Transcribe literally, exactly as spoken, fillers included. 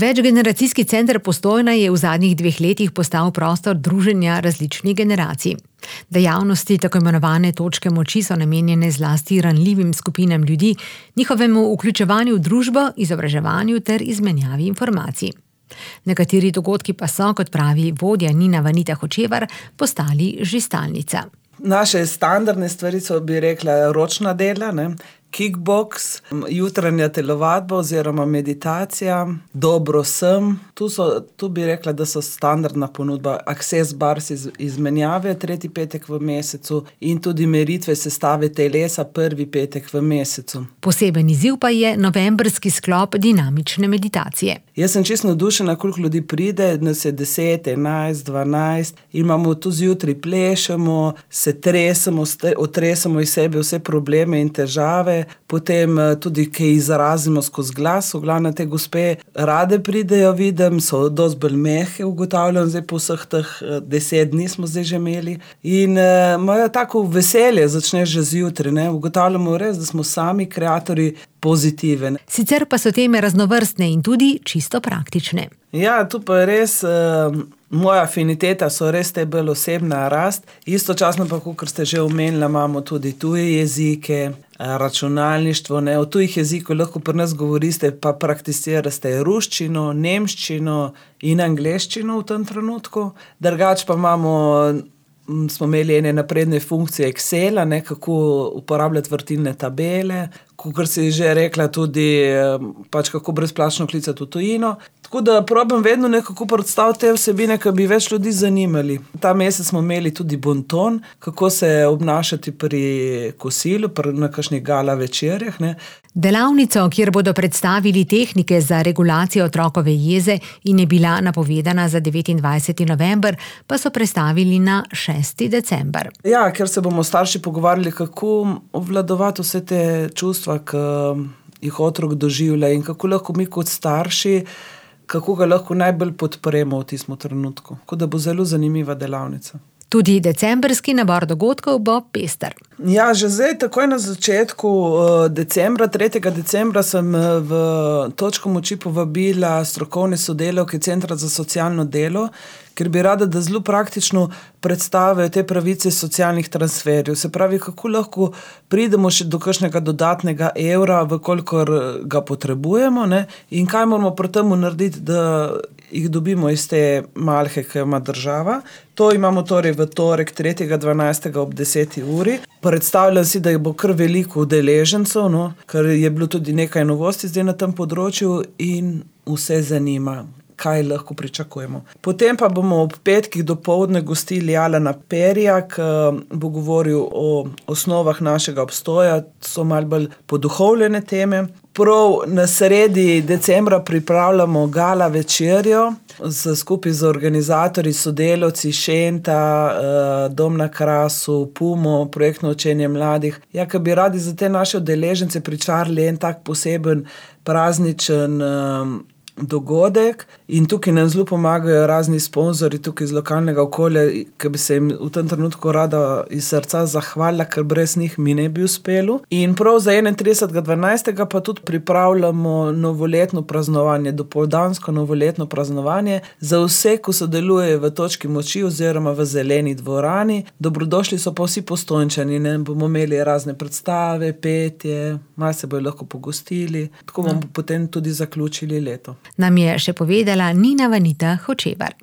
Večgeneracijski center Postojna je v zadnjih dveh letih postal prostor druženja različnih generacij. Dejavnosti tako imenovane točke moči so namenjene zlasti ranljivim skupinam ljudi, njihovemu vključevanju v družbo, izobraževanju ter izmenjavi informacij. Nekateri dogodki pa so, kot pravi vodja Nina Vanita Hočevar, postali že stalnica. Naše standardne stvari so, bi rekla, ročna dela, ne? Kickboks, jutranja telovadba oziroma meditacija, dobro sem. Tu, so, tu bi rekla, da so standardna ponudba Access Bars iz, izmenjave tretji petek v mesecu in tudi meritve sestave telesa prvi petek v mesecu. Poseben izziv pa je novembrski sklop dinamične meditacije. Jaz sem čisto navdušena, koliko ljudi pride, nas je deset, enajst, dvanajst, imamo tu zjutraj plešemo, se tresemo, otresemo iz sebe vse probleme in težave, potem tudi kaj izrazimo skozi glas. V glavne te gospe rade pridejo, vidim, so dosti bolj mehke, ugotavljam, zdaj po vseh teh deset dni smo zdaj že imeli. In uh, imajo tako veselje, začneš že zjutraj, ne, ugotavljamo res, da smo sami kreatorji pozitiven. Sicer pa so teme raznovrstne in tudi čisto praktične. Ja, tu pa je res, uh, moja afiniteta so res te bolj osebna rast. Istočasno pa, kot ste že omenili, imamo tudi tuje jezike, računalništvo, ne, v tujih jezikov lahko pri nas govorite, pa prakticirate ruščino, nemščino in angleščino v tem trenutku. Drugače pa imamo, smo imeli ene napredne funkcije Excela, ne, kako uporabljati vrtilne tabele, kot si že rekla, tudi pač kako brezplačno klicati v tujino. Tako da probam vedno nekako predstaviti te vsebine, ki bi več ljudi zanimali. Ta mesec smo imeli tudi bonton, kako se obnašati pri kosilu, pri na kakšnih gala večerjah, ne. Delavnico, kjer bodo predstavili tehnike za regulacijo otrokove jeze in je bila napovedana za devetindvajseti november, pa so prestavili na šesti december. Ja, ker se bomo starši pogovarjali, kako obvladovati vse te čustva, ki jih otrok doživlja in kako lahko mi kot starši, kako ga lahko najbolj podpremo v tistem trenutku. Tako da bo zelo zanimiva delavnica. Tudi decembrski nabor dogodkov bo pester. Ja, že zdaj, takoj na začetku decembra, tretjega decembra sem v točko moči povabila strokovne sodelavke Centra za socialno delo, ker bi rada, da zelo praktično predstavijo te pravice socialnih transferjev. Se pravi, kako lahko pridemo še do kakšnega dodatnega evra, vkolikor ga potrebujemo, ne, in kaj moramo pri temu narediti, da jih dobimo iz te malhe, ki ima država. To imamo torej v torek tretjega dvanajstega ob deseti uri. Predstavljam si, da bo kar veliko udeležencev, no, ker je bilo tudi nekaj novosti zdaj na tem področju in vse zanima, kaj lahko pričakujemo. Potem pa bomo ob petkih dopoldne gostili Alana Perija, ki bo govoril o osnovah našega obstoja, so malo bolj poduhovljene teme. Prav na sredi decembra pripravljamo gala večerjo z, skupaj z organizatorji, sodelavci Šenta, Dom na Krasu, Pumo, projektno učenje mladih. Ja, ki bi radi za te naše udeležence pričarali en tak poseben prazničen dogodek in tukaj nam zelo pomagajo razni sponzorji tukaj iz lokalnega okolja, ki bi se jim v tem trenutku rada iz srca zahvalila, ker brez njih mi ne bi uspelo. In prav za enaintridesetega dvanajstega pa tudi pripravljamo novoletno praznovanje, dopoldansko novoletno praznovanje za vse, ko sodelujejo v točki moči oziroma v zeleni dvorani. Dobrodošli so pa vsi Postojnčani, ne, bomo imeli razne predstave, petje, malo se bojo lahko pogostili, tako bomo potem tudi zaključili leto. Nam je še povedala Nina Vanita Hočevar.